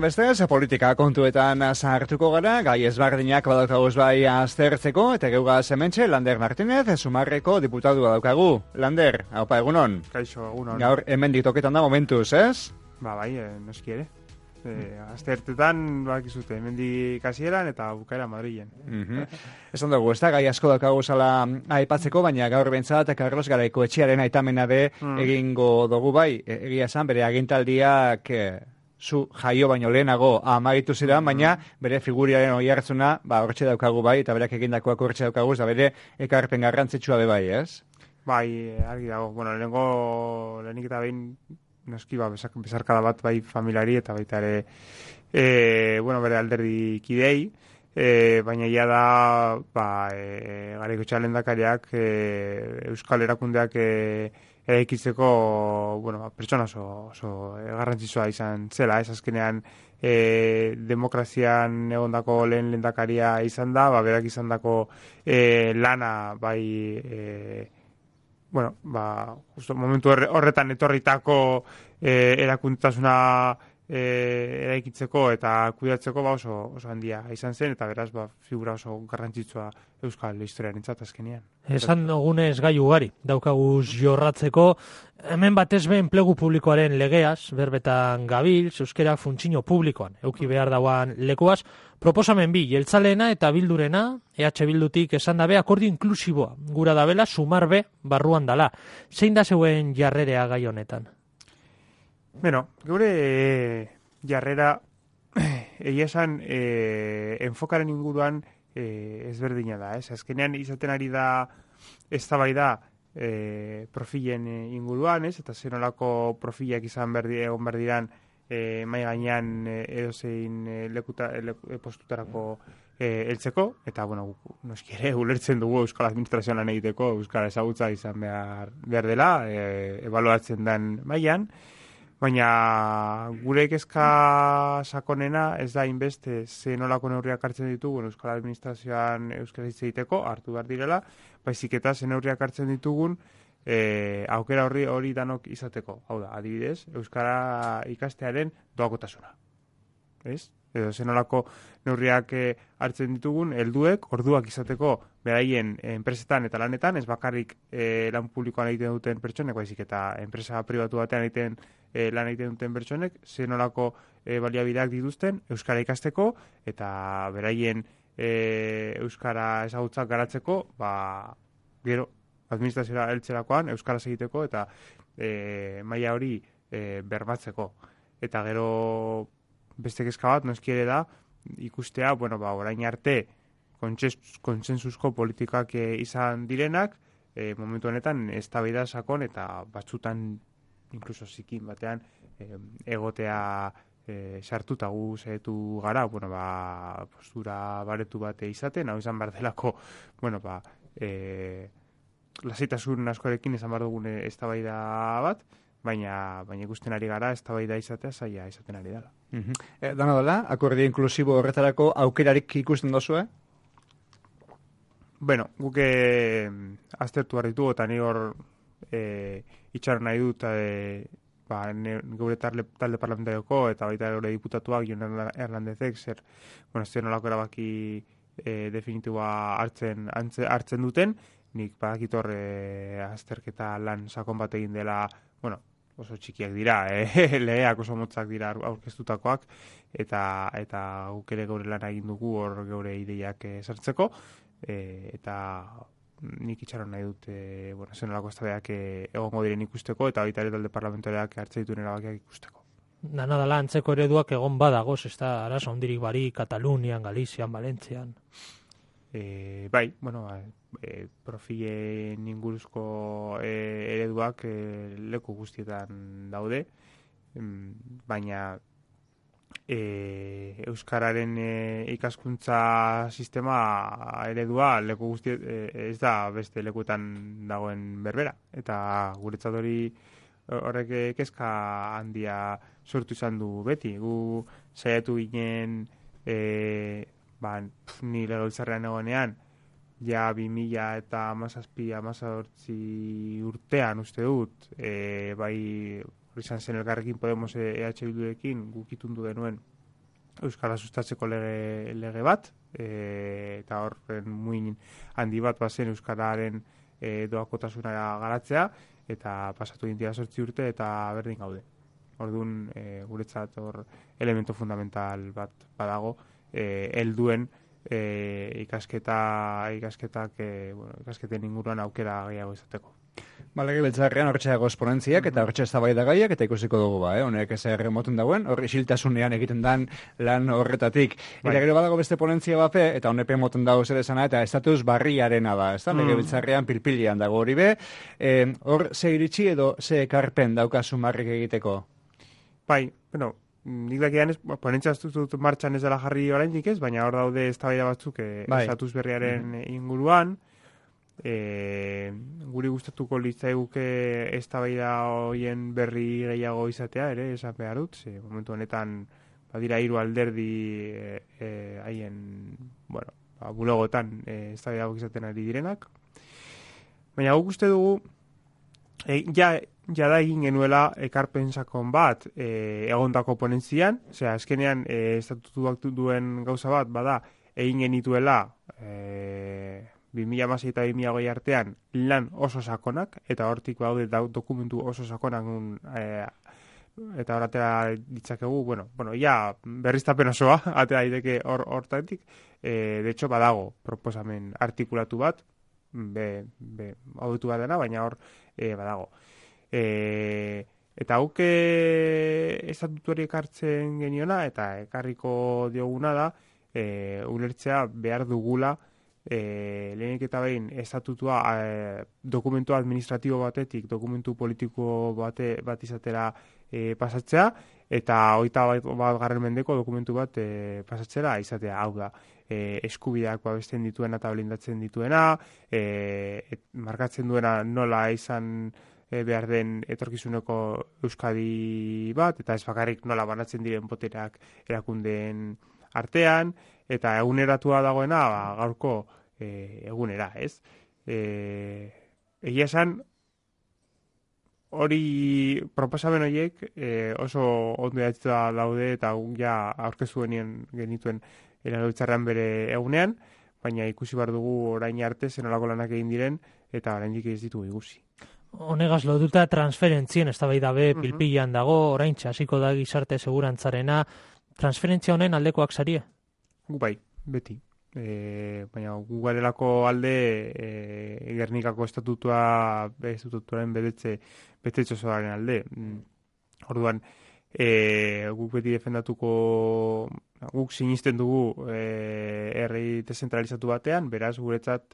bestez, politika kontuetan sartuko gara, gai ezberdinak badaukaguz bai aztertzeko, eta geugaz hementxe, Lander Martínez, Sumarreko diputadua daukagu. Lander, haupa, egunon? Kaixo, egunon. Gaur, hemen ditoketan da momentuz, ez? Bai, noski ere. Aztertetan, bakizute, hemendik hasieran eta bukaera Madrilen. Esan dugu, ez da, gai asko daukagu zala aipatzeko, baina gaur bentsat, Carlos Garaiko etxearen aitamena de egingo dugu bai, egia esan, bere agintaldiak zu jaio baino lehenago amagitu ziren, baina bere figuriaren oi hartzuna, hortxe daukagu bai, eta berak egindakoak hortxe daukagu, eta bere ekarpen garrantzitsua be bai, ez? Bai, argi dago. Bueno, lehenik eta behin, noski, bezarkada bat bai familiari eta baita ere, bere alderdi kidei, baina ja da, Garaiko etxearen lehendakariak Euskal Erakundeak eraikitzeko, pertsona oso garrantzitsua izan zela, ez azkenean demokrazian egondako lehen lehendakaria izan da, berak izandako lana bai justo momentu horretan etorritako erakuntasuna eraikitzeko eta kudeatzeko oso handia izan zen, eta beraz figura oso garrantzitsua Euskal historiarentzat azkenean. Esan dugunez gai ugari daukaguz jorratzeko, hemen batez be enplegu publikoaren legeaz, berbetan gabil, euskerak funtzio publikoan, euki behar dauan lekuaz, proposamen bi, jeltzaleena eta bildurena, EH Bildutik esan dabe, akordio inklusiboa, gura dabela, sumar be, barruan dala. Zein da zeuen jarrerea gai honetan? Bueno, geure jarrera, egia esan, enfokaren inguruan ezberdina da, ez? Azkenean izaten ari da eztabaida profilen inguruan, ez? Eta zenolako profilak izan egon behar diran mai gainean edozein postutarako heltzeko, eta, noski ere, ulertzen dugu Euskal Administrazioan lan egiteko, Euskal ezagutza izan behar dela, ebaluatzen den mailan, baina gure kezka sakonena ez da inbeste zenolako neurriak hartzen ditugun Euskal Administrazioan euskara hitz egiteko, hartu behar direla, baizik eta zen neurriak hartzen ditugun aukera hori danok izateko. Hau da, adibidez, euskara ikastearen doakotasuna. Ez? Edo zenolako neurriak hartzen ditugun, helduek orduak izateko beraien enpresetan eta lanetan, ez bakarrik lan publikoan egiten duten pertsonek, baizik eta enpresa pribatu batean lan egiten duten pertsonek, zenolako baliabideak dituzten euskara ikasteko eta beraien euskara ezagutzak garatzeko, gero administrazioa heltzerakoan euskaraz egiteko eta maila hori bermatzeko. Eta gero beste kezka bat, noski ere da, ikustea, orain arte kontsensuzko politikak izan direnak, momentu honetan eztabaida sakon eta batzutan inkluso zikin batean egotea sartuta gu zehetu gara, postura baretu bate izaten, hau izan behar delako, lasaitasun askorekin izan behar dugun eztabaida bat, baina ikusten ari gara eztabaida izatea zaila izaten ari dela. Dana dela, akordio inklusibo horretarako aukerarik ikusten dozue? Guk aztertu behar ditugu, eta ni hor itxaron nahi dut geure talde parlamentarioko eta baita geure diputatuak Jon Hernandezek zer nolako erabaki definitiboa hartzen duten, nik badakit hor azterketa lan sakon bat egin dela, oso txikiak dira, legeak oso motzak dira aurkeztutakoak, eta guk ere geure lan egin dugu hor geure ideiak sartzeko, eta nik itxaron nahi dut zenolako eztabaidak egongo diren ikusteko, eta baita ere talde parlamentarioak hartzen dituen erabakiak ikusteko. Dana dela antzeko ereduak egon badagoz, ez da arazo handirik barik, Katalunian, Galizian, Valentzian. Profilen inguruzko ereduak leku guztietan daude, baina euskararen ikaskuntza sistema eredua leku ez da beste lekuetan dagoen berbera, eta guretzat horrek kezka handia sortu izan du beti. Gu saiatu ginen ni legebiltzarrean egonean, ja 2017-18 urtean uste dut, bai izan zen Elkarrekin Podemos EH Bildurekin guk itundu denuen Euskara sustatzeko lege bat, eta horren muin handi bat bazen Euskararen doakotasuna garatzea, eta pasatu dintia 8 urte eta berdin gaude. Orduan, guretzat hor elemento fundamental bat badago, helduen ikasketen inguruan aukera gehiago izateko. Lege beltzarrean hortxe dago esponentziak eta hortxe eztabaidagaiak eta ikusiko dugu honek ez erremoten dauen, hor isiltasunean egiten dan lan horretatik. Eta gero badago beste ponentzia bape, eta honepe moten dago zer esana, eta estatus barriarena da, ez da? Lege beltzarrean pilpilian dago hori be. Hor ze iritsi edo ze ekarpen daukazu marrik egiteko? Bai, bueno, nik dakian ponentzia dut martxan ez dela jarri oraindik ez, baina hor daude eztabaida batzuk estatus berriaren inguruan. Guri gustatuko litzaiguke eztabaida hoien berri gehiago izatea ere, esan behar dut, momentu honetan badira 3 alderdi haien, bulegoetan eztabaida izaten ari direnak. Baina guk uste dugu ja da egin genuela ekarpen sakon bat egondako ponentzian, azkenean estatutuak duen gauza bat bada egin genituela 2016 eta 2020 artean lan oso sakonak, eta hortik baude dokumentu oso sakonak eta horatera ditzakegu, berriztapen osoa, atera daiteke hortatik, de hecho badago proposamen artikulatu bat, auditu bat dena, baina hor badago. Eta guk estatutuari ekartzen geniona, eta ekarriko dioguna da, ulertzea behar dugula, lehenik eta behin estatutua dokumentu administratibo batetik dokumentu politiko bat izatera pasatzea, eta 21. mendeko dokumentu bat pasatzera izatea, hau da eskubideak babesten dituena eta blindatzen dituena, markatzen duena nola izan behar den etorkizuneko Euskadi bat, eta ez bakarrik nola banatzen diren botereak erakundeen artean, eta eguneratua dagoena gaurko egunera, ez? Egia esan, hori proposamen horiek oso ondo idatzita daude, eta ja aurkeztu genituen erabiltzarrean bere egunean, baina ikusi behar dugu orain arte zenolako lanak egin diren, eta oraindik ez ditugu ikusi. Honegaz lotuta transferentzien eztabaida be pilpilan dago, oraintxe hasiko da gizarte segurantzarena, transferentzia honen aldekoak zarie? Gu bai, beti. Baina gu garelako alde Gernikako estatutuaren betetze osoaren alde. Orduan, guk beti defendatuko, guk sinisten dugu herri dezentralizatu batean, beraz guretzat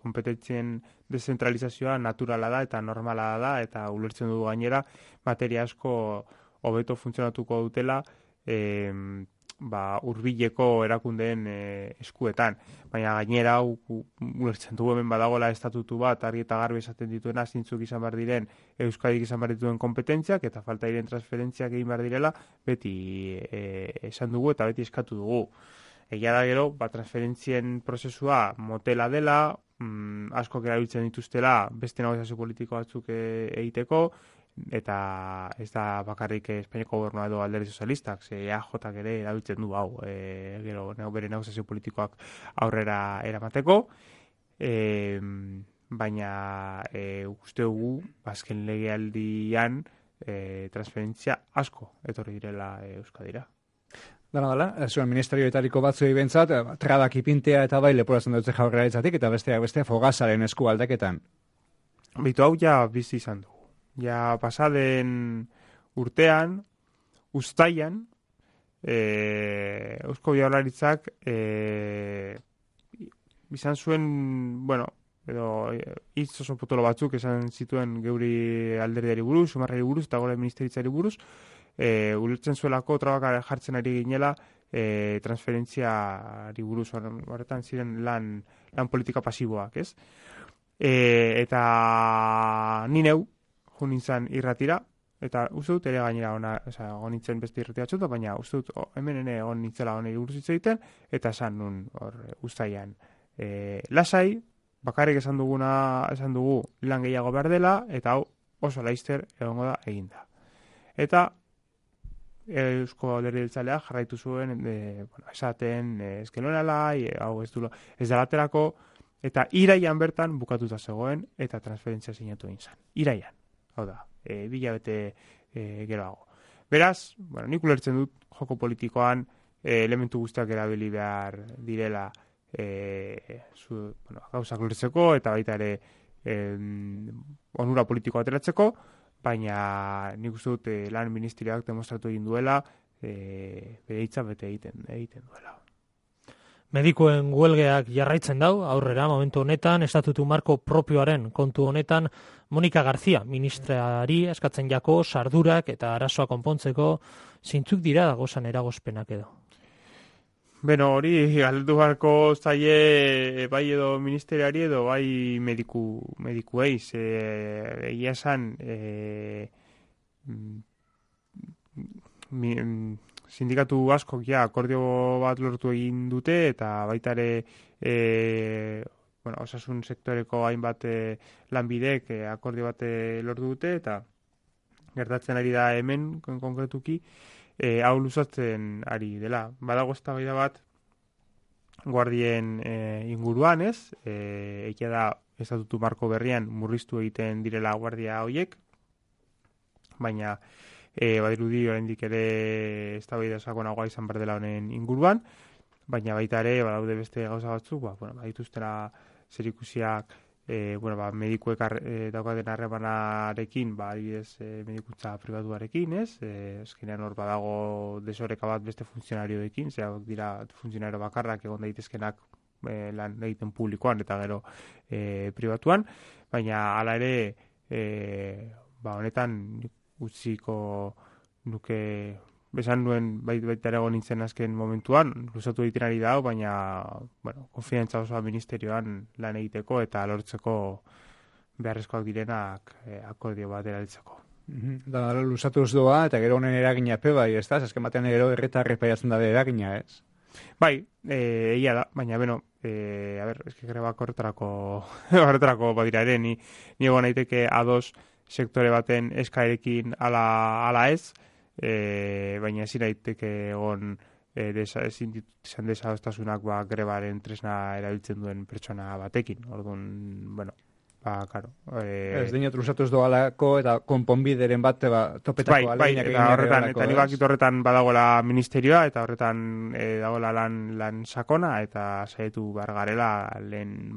kompetentzien dezentralizazioa naturala da eta normala da, eta ulertzen dugu gainera materia asko hobeto funtzionatuko dutela hurbileko erakundeen eskuetan. Baina gainera ulertzen dugu hemen badagoela estatutu bat argi eta garbi esaten dituena zintzuk izan behar diren Euskadik izan behar dituen kompetentziak eta falta diren transferentziak egin behar direla beti esan dugu eta beti eskatu dugu. Egia da gero, transferentzien prozesua motela dela, askok erabiltzen dituztela beste negoziazio politiko batzuk egiteko, eta ez da bakarrik Espainiako gobernua edo alderdi sozialistak, EAJak ere erabiltzen du hau, gero bere negoziazio politikoak aurrera eramateko, baina uste dugu azken legealdian transferentzia asko etorri direla Euskadira. Dala, zuen ministerioetariko batzuei bentsat, trabak ipintea eta bai leporatzen dutze jaurlaritzatik, eta beste fogazaren esku aldaketan. Bitu hau ja bizi izan dugu. Ja pasaden urtean, uztaian, Eusko Jaurlaritzak izan zuen, edo hitz oso potolo batzuk esan zituen geuri alderdiari buruz, sumarrari buruz, eta gora ministeritzari buruz, ulertzen zuelako trabak jartzen ari ginela transferentziari buruz, horretan ziren lan politika pasiboak, ez? Eta ni neu, nintzen irratira, eta uste dut ere gainera egon nintzen beste irratia txuta, baina uste dut hemen egon nintzela honi buruz hitz egiten, eta esan nun uztaian lasai, bakarrik esan dugu lan gehiago behar dela, eta hau oso laizter egongo da eginda. Eta Eusko Alderdi Jeltzaleak jarraitu zuen esaten ez gelonala, hau ez da laterako, eta iraian bertan bukatuta zegoen eta transferentzia sinatu egin zen. Iraian, hau da, 2 hilabete geroago. Beraz, nik ulertzen dut joko politikoan elementu guztiak erabili behar direla gauzak lortzeko eta baita ere onura politikoa ateratzeko, baina nik uste dut lan ministerioak demostratu egin duela bere hitza bete egiten duela. Medikuen huelgeak jarraitzen dau, aurrera momentu honetan, estatutu marko propioaren kontu honetan, Monika Garzia, ministrari eskatzen jako, sardurak eta arazoa konpontzeko, zeintzuk dira dagozan eragozpenak edo? Beno, hori galdu beharko zaie bai edo ministeriari edo bai medikuei, egia esan sindikatu askok akordio bat lortu egin dute eta baita ere osasun sektoreko hainbat lanbidek akordio bat lortu dute eta gertatzen ari da hemen konkretuki hau luzatzen ari dela. Badago eztabaida bat guardien inguruan, ez? Egia da estatutu marko berrian murriztu egiten direla guardia hoiek, baina badirudi oraindik ere eztabaida sakonagoa izan behar dela honen inguruan, baina baita ere badaude beste gauza batzuk, badituztera zerikusiak medikuek daukaten harremanarekin, adibidez medikuntza pribatuarekin, ez? Eskenean hor badago desoreka bat beste funtzionarioekin, dira funtzionario bakarrak egon daitezkenak lan egiten publikoan eta gero pribatuan, baina hala ere honetan utziko nuke besan nuen baita ere egon nintzen azken momentuan, luzatu egiten ari dago, baina konfidentza osoa ministerioan lan egiteko eta lortzeko beharrezkoak direnak akordio bat erabiltzeko. Da, luzatu ez doa, eta gero honen eragina bai, ez da? Azken batean gero erretarri paiatzen da eragina, ez? Bai, egia da, baina eske grebak horretarako badira ere, ni egon naiteke ados sektore baten eskaerekin ala ez, baina ezin daiteke egon izan desadostasunak grebaren tresna erabiltzen duen pertsona batekin. Orduan, claro. Ez dinot luzatu ez doalako eta konponbideren bat topetako aleinak egin horretan, eta nik bakit horretan badagoela ministerioa eta horretan dagoela lan sakona eta saietu behar garela lehen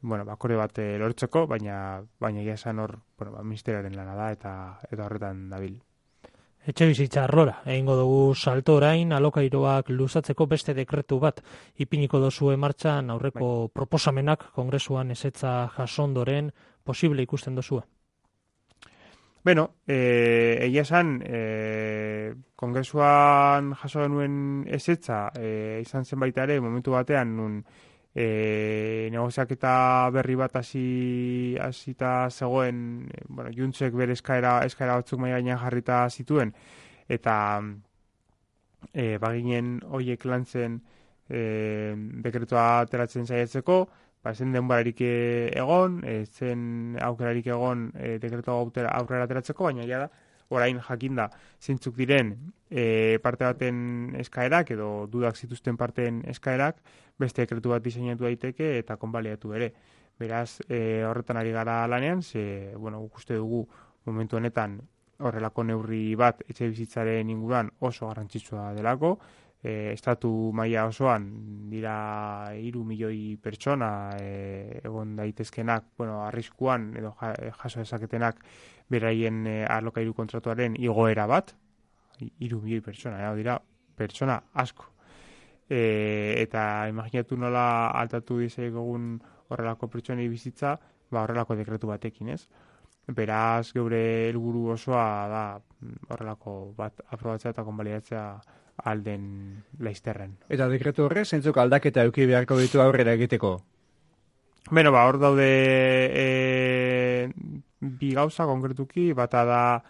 akorde bat lortzeko, baina egia esan hor ministerioaren lana da eta horretan dabil. Etxe bizitza arlora, egingo dugu salto orain, alokairoak luzatzeko beste dekretu bat ipiniko dozue martxan aurreko proposamenak kongresuan ezetza jasondoren posible ikusten dozue. Egia esan, kongresuan jaso genuen ezetza izan zen baita ere momentu batean nun negoziaketa berri bat hasita zegoen, Juntzek bere eskaera batzuk mahai gainean jarrita zituen, eta baginen hoiek lantzen dekretua ateratzen saiatzeko, zen denborarik egon, zen aukerarik egon dekretua aurrera ateratzeko, baina ja da, orain jakinda zeintzuk diren parte baten eskaerak edo dudak zituzten parteen eskaerak beste dekretu bat diseinatu daiteke eta konbaliatu ere. Beraz, horretan ari gara lanean, guk uste dugu momentu honetan horrelako neurri bat etxe bizitzaren inguruan oso garrantzitsua delako, estatu maila osoan dira 3 milioi pertsona egon daitezkenak, arriskuan edo jaso dezaketenak beraien alokairu kontratuaren igoera bat, 3 milioi pertsona, dira pertsona asko. Eta imaginatu nola altatu dizegogun horrelako pertsonei bizitza, horrelako dekretu batekin, ez? Beraz, geure helburu osoa da horrelako bat aprobatzea eta konbalidatzea alden laizterren. Eta dekretu horre, zeintzuk aldaketa eduki beharko ditu aurrera egiteko? Hor daude bi gauza konkretuki, bata da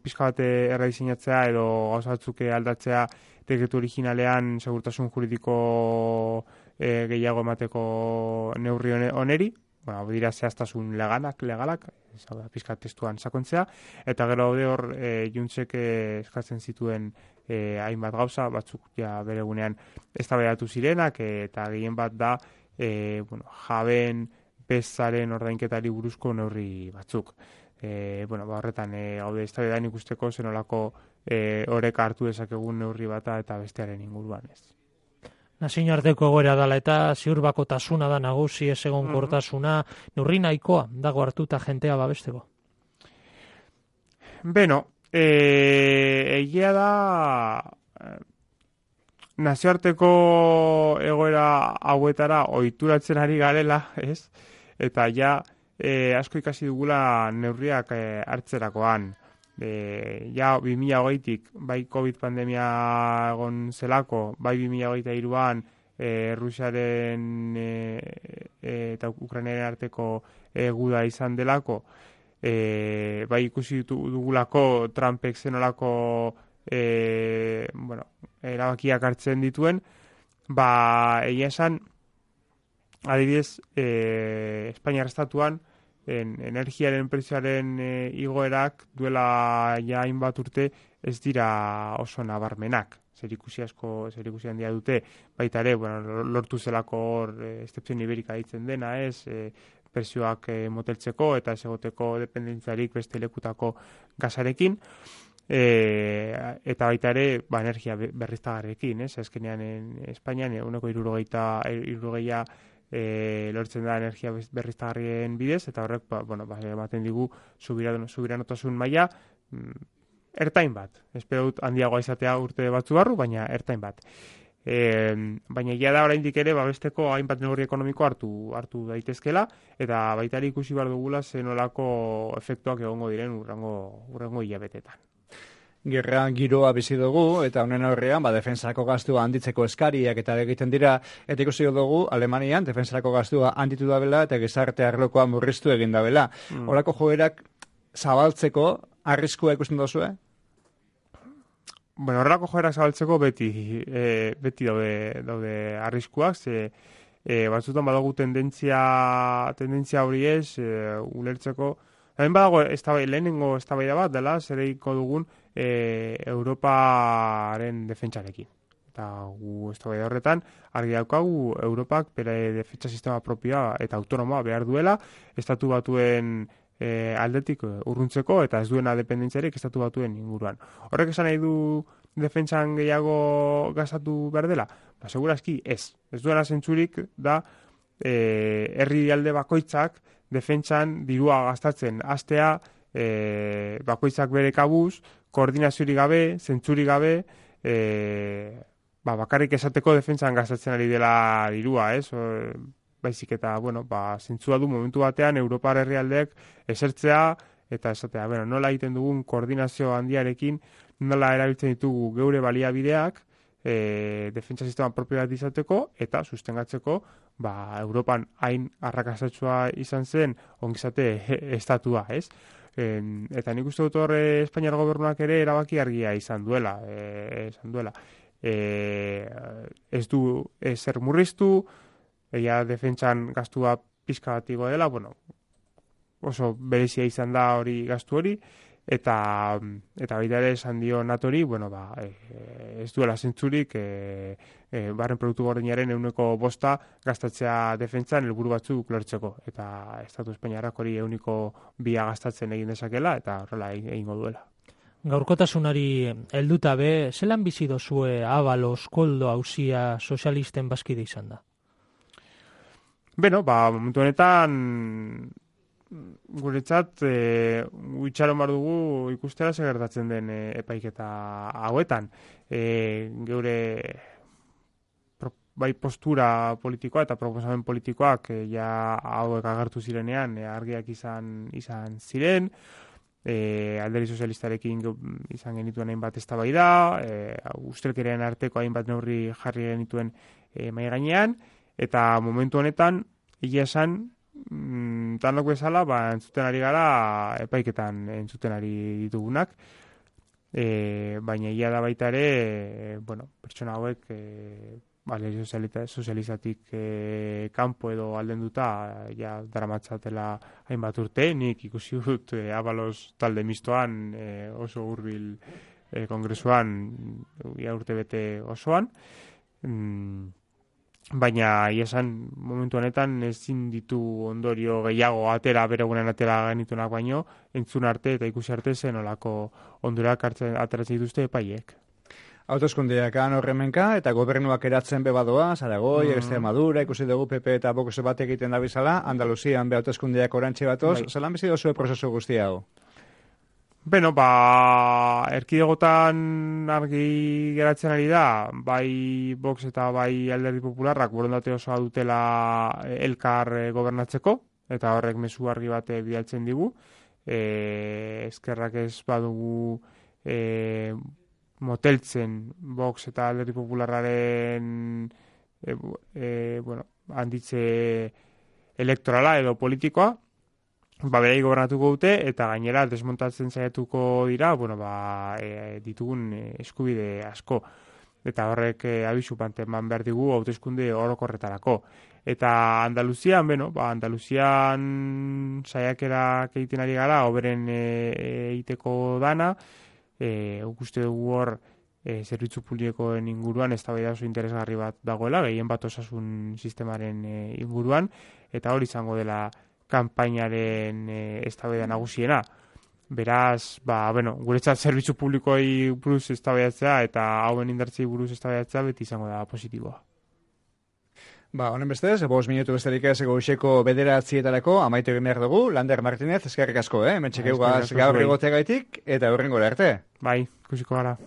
pixka bat errediseinatzea edo gauza batzuk aldatzea dekretu originalean segurtasun juridiko gehiago emateko neurri oneri, bueno, hau dira zehaztasun legalak, pizkat testuan sakontzea, eta gero hor Juntzek eskatzen zituen hainbat gauza, batzuk ja bere gunean eztabaidatu zirenak, eta gehien bat da jabeen bezaren ordainketari buruzko neurri batzuk. Horretan gaude eztabaidan ikusteko zenolako oreka hartu dezakegun neurri bata eta bestearen inguruan ez. Nazioarteko egoera dela eta ziurbakotasuna da nagusi, ez egonkortasuna, neurri nahikoa dago hartuta jentea babesteko? Beno, egia da nazioarteko egoera hauetara ohituratzen ari garela, ez? Eta ja asko ikasi dugula neurriak hartzerakoan. Ja 2020tik bai COVID pandemia egon zelako, bai 2023an Rusiaren eta Ukrainaren arteko guda izan delako, bai ikusi dugulako Trumpek zenolako erabakiak hartzen dituen, egia esan, adibidez, Espainiar estatuan energiaren prezioaren igoerak duela ja hainbat urte ez dira oso nabarmenak. Zerikusi handia dute, baita ere, lortu zelako hor excepción iberika ditzen dena, prezioak moteltzeko eta ez egoteko dependentziarik beste lekutako gasarekin, eta baita ere, energia berriztagarriekin, azkenean Espainian 60% lortzen da energia berriztagarrien bidez, eta horrek ematen digu subiranotasun maila ertain bat. Espero dut handiagoa izatea urte batzu barru, baina ertain bat. Baina egia da oraindik ere babesteko hainbat neurri ekonomiko hartu daitezkela, eta baita ere ikusi behar dugula zenolako efektuak egongo diren urrengo hilabetetan. Gerra giroa bizi dugu, eta honen aurrean, defensako gastua handitzeko eskariak eta egiten dira, eta ikusi dugu, Alemanian, defensako gastua handitu dabela, eta gizarte arlokoa murriztu egin dabela. Horako joerak zabaltzeko, arriskua ikusten duzue? Horrelako joerak zabaltzeko beti daude arriskuak, batzutan badugu tendentzia hori ez, ulertzeko. Hemen badago lehenengo eztabaida bat dela, zereiko dugun Europaren defentsarekin. Eta gu eztabaida horretan, argi daukagu Europak bere defentsa sistema propioa eta autonomoa behar duela, estatu batuen aldetik urruntzeko, eta ez duena dependentziarik estatu batuen inguruan. Horrek esan nahi du defentsan gehiago gastatu behar dela? Segurazki ez. Ez duena zentzurik da herri alde bakoitzak defentsan dirua gastatzen hastea, bakoitzak bere kabuz, koordinaziorik gabe, zentzurik gabe, bakarrik esateko defentsan gastatzen ari dela dirua, baizik eta, zentzua du momentu batean Europar herrialdeek esertzea, eta esatea, nola egiten dugun koordinazio handiarekin, nola erabiltzen ditugu geure baliabideak, defentsa sistema propio bat izateko, eta sustengatzeko, Europan hain arrakastatsua izan zen ongizate estatua, eta nik uste dut hor Espainiar gobernuak ere erabaki argia izan duela. Ez du ezer murriztu, defentsan gastua pizka bat igo dela, oso berezia izan da hori gastu hori, eta baita ere esan dio natori, ez duela zentzurik barren produktu gordinaren 5% gastatzea defentsan helburu batzuk lortzeko, eta Estatu Espainiarrak hori 2% gastatzen egin dezakela, eta horrela egingo duela. Gaurkotasunari helduta be, zelan bizi dozue Abalos, Koldo, auzia sozialisten bazkide izan da? Momentu honetan guretzat itxaron bar dugu ikustera zer gertatzen den epaiketa hauetan. Geure bai postura politikoa eta proposamen politikoak hauek agertu zirenean argiak izan ziren, alderdi sozialistarekin izan genituen hainbat eztabaida, ustelkeriaren arteko hainbat neurri jarri genituen mahai gainean, eta momentu honetan egia esan tanok bezala, entzuten ari gara epaiketan entzuten ari ditugunak, baina egia da baita ere, pertsona hauek alderdi sozializatik kanpo edo aldenduta ja daramatzatela hainbat urte, nik ikusi dut Abalos talde mistoan oso hurbil kongresuan urte bete osoan, baina iesan momentu honetan ezin ditu ondorio gehiago atera, beregunen atera genitunak baino, entzun arte eta ikusi arte zen olako ondurak ateratzen dituzte epaiek. Hauteskundeak horremenka eta gobernuak eratzen bebadoa, Zaragoi, Extremadura, ikusi dugu PP eta Vox bat egiten da bizala, Andaluzian be hauteskundeak orantxe batoz, zelan bizi dozue prozesu guzti hau? Beno, erkidegotan argi geratzen ari da, bai Vox eta bai Alderdi Popularrak borondate osoa dutela elkar gobernatzeko, eta horrek mezu argi bate bidaltzen digu. Ezkerrak ez badugu moteltzen Vox eta Alderdi Popularraren handitze elektorala edo politikoa, berei gobernatuko dute eta gainera desmontatzen saiatuko dira, ditugun eskubide asko. Eta horrek abisu panteman behar digu hauteskunde orokorretarako. Eta Andaluzian, Andaluzian saiakerak egiten ari gara, hoberen egiteko dana, uste dugu hor zerbitzu publikoen inguruan eztabaida oso interesgarri bat dagoela, gehien bat osasun sistemaren inguruan, eta hori izango dela kanpainaren eztabaida nagusiena. Beraz, guretzat zerbitzu publikoei buruz eztabaidatzea eta hauen indartzei buruz eztabaidatzea beti izango da positiboa. Honen bestez, 5 minutu besterik ez goizeko 9:00 amaitu egin behar dugu. Lander Martinez, eskerrik asko, hemen txekeugaz gaur egoteagaitik eta horrengora arte. Bai, ikusiko gara.